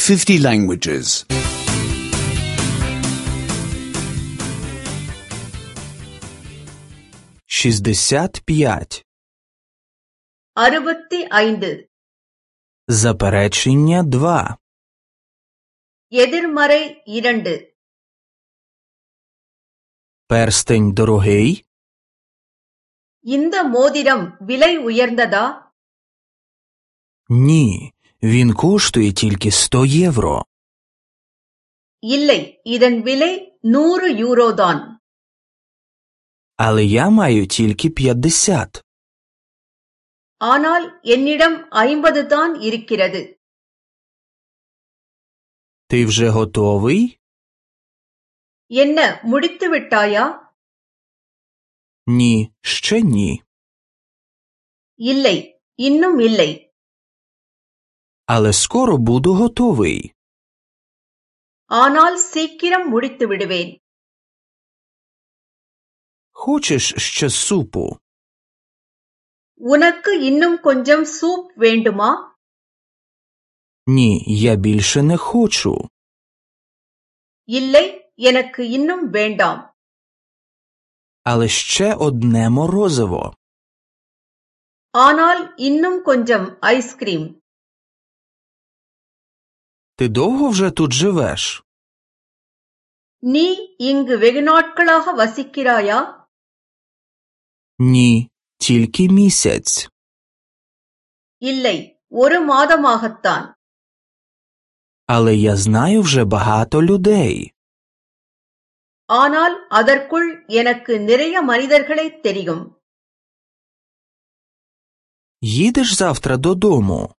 50 languages. 65. 65. Заперечення 2. எதிர்மறை 2. Перстень дорогий? இந்த மோதிரம் விலை உயர்ந்ததா? Ні, він коштує тільки 100 євро. இல்லை, இதன் விலை 100 யூரோதான். Але я маю тільки 50. ஆனால் என்னிடம் 50 தான் இருக்கிறது. Ти вже готовий? என்ன, முடித்து விட்டாயா? Ні, ще ні. இல்லை, இன்னும் இல்லை. Але скоро буду готовий. ஆனால் சீக்கிரம் முடித்து விடுவேன். Хочеш ще супу? உனக்கு இன்னும் கொஞ்சம் சூப் வேண்டுமா? Ні, я більше не хочу. இல்லை, எனக்கு இன்னும் வேண்டாம். Але ще одне морозиво. ஆனால் இன்னும் கொஞ்சம் ஐஸ்கிரீம். Ти довго вже тут живеш? நீ இங்கு வெகு நாட்களாக வசிக்கிறாயா? Ні, тільки місяць. இல்லை, 1 மாதமாகத்தான். Але я знаю вже багато людей. ஆனால் அதற்குள் எனக்கு நிறைய மனிதர்களைத் தெரியும். Їдеш завтра додому?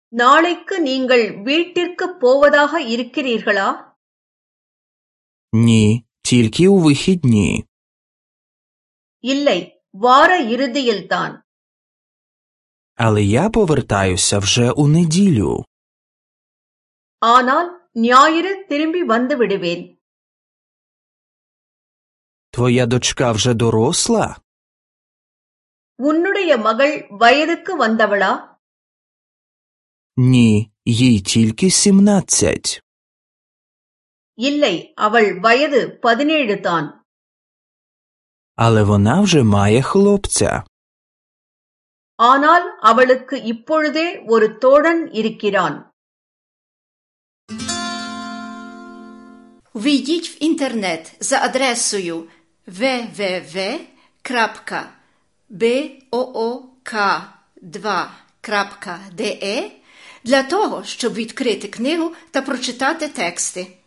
நாளைக்கு நீங்கள் வீட்டிற்குப் போவதாக இருக்கிறீர்களா? Ні, тільки у вихідні. இல்லை, வார இறுதியில்தான். Але я повертаюся вже у неділю. ஆனால் ஞாயிறு திரும்பி வந்து விடுவேன். Твоя дочка вже доросла? உன்னுடைய மகள் வயதுக்கு வந்தவளா? Ні, їй тільки 17. இல்லை, அவள் வயது 17 தான். Але вона вже має хлопця. ஆனால் அவளுக்கு இப்பொழுதே ஒரு தோழன் இருக்கிறான். Ввійдіть в інтернет за адресою www.book2.de для того, щоб відкрити книгу та прочитати тексти.